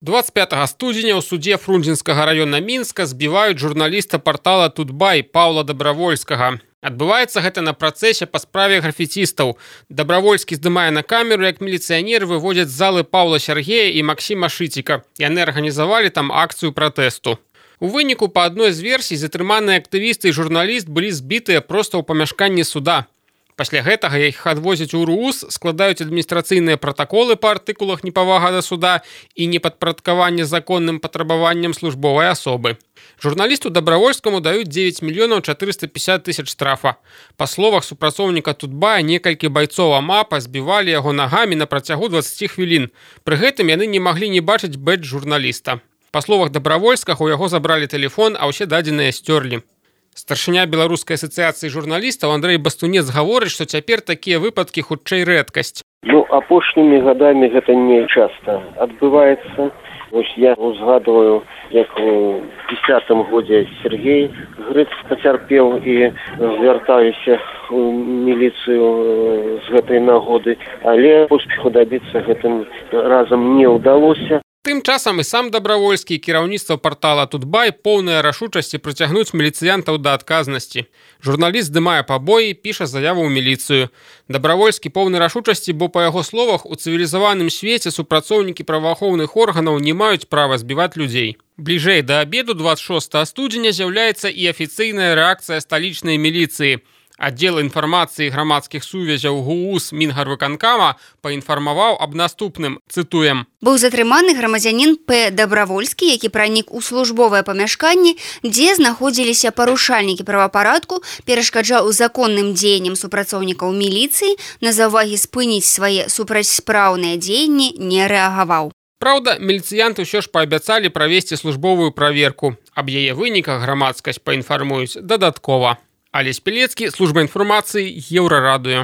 25 студзеня ў судзе Фрунзенскага района Мінска збіваюць журналіста партала Тутбай Паўла Дабравольскага. Адбываецца гэта на працэсе па справе графіцістаў. Дабравольскі здымае на камеру, як міліцыянеры выводзяць з залы Паўла Сергея і Максіма Шыціка. Яны арганізавалі там акцыю пратэсту. У выніку, па адной з версій, затрыманыя актывісты і журналіст былі збітыя проста ў памяшканні суда. Пасля гэтага іх адвозяць у РУС, складаюць адміністрацыйныя пратаколы па артыкулах непавага да суда і непадпарадкаванне законным патрабаванням службовай асобы. Журналісту Дабравольскаму даюць 9 мільёнаў 450 тысяч штрафа. Па словах супрацоўніка Тутбая, некалькі байцоў АМАПа збівалі яго нагамі на працягу 20 хвілін. Пры гэтым яны не маглі не бачыць бэдж журналіста. Па словах Дабравольскага, у яго забралі тэлефон, а ўсе дадзеныя сцёрлі. Старшыня Беларускай асацыяцыі журналістаў Андрэй Бастунец гаворыць, што цяпер такія выпадкі хутчэй рэдкасць. Апошнімі гадамі гэта не часта адбываецца. Я узгадываю, як у 10-м годзе Сергей Грыц пацярпеў і звяртаюся у міліцыю з гэтай нагоды, але поспеху дабіцца гэтым разам не ўдалося. Тым часам і сам Дабравольскі і кіраўніцтва партала Тутбай поўныя рашучасці прыцягнуць міліцыянтаў да адказнасці. Журналіст здымае пабоі, піша заяву ў міліцыю. Дабравольскі поўны рашучасці, бо, па яго словах, у цывілізаваным свеце супрацоўнікі праваахоўных органаў не маюць права збіваць людзей. Бліжэй да абеду 26 студзеня з'яўляецца і афіцыйная рэакцыя сталічнай міліцыі. Аддзел інфармацыі грамадскіх сувязяў ГУУС Мінгарвыканкама паінфармаваў аб наступным, цытуем. Быў затрыманы грамадзянін П. Дабравольскі, які пранік у службовае памяшканне, дзе знаходзіліся парушальнікі правапарадку, перашкаджаў законным дзеянням супрацоўнікаў міліцыі, на заўвагі спыніць свае супрацьспраўныя дзеянні не рэагаваў. Праўда, міліцыянты ўсё ж паабяцалі правесці службовую праверку. Аб яе выніках грамадскасць паінфармуюць дадаткова. Алесь Пелецкі, служба інфармацыі, Еўрарадыё.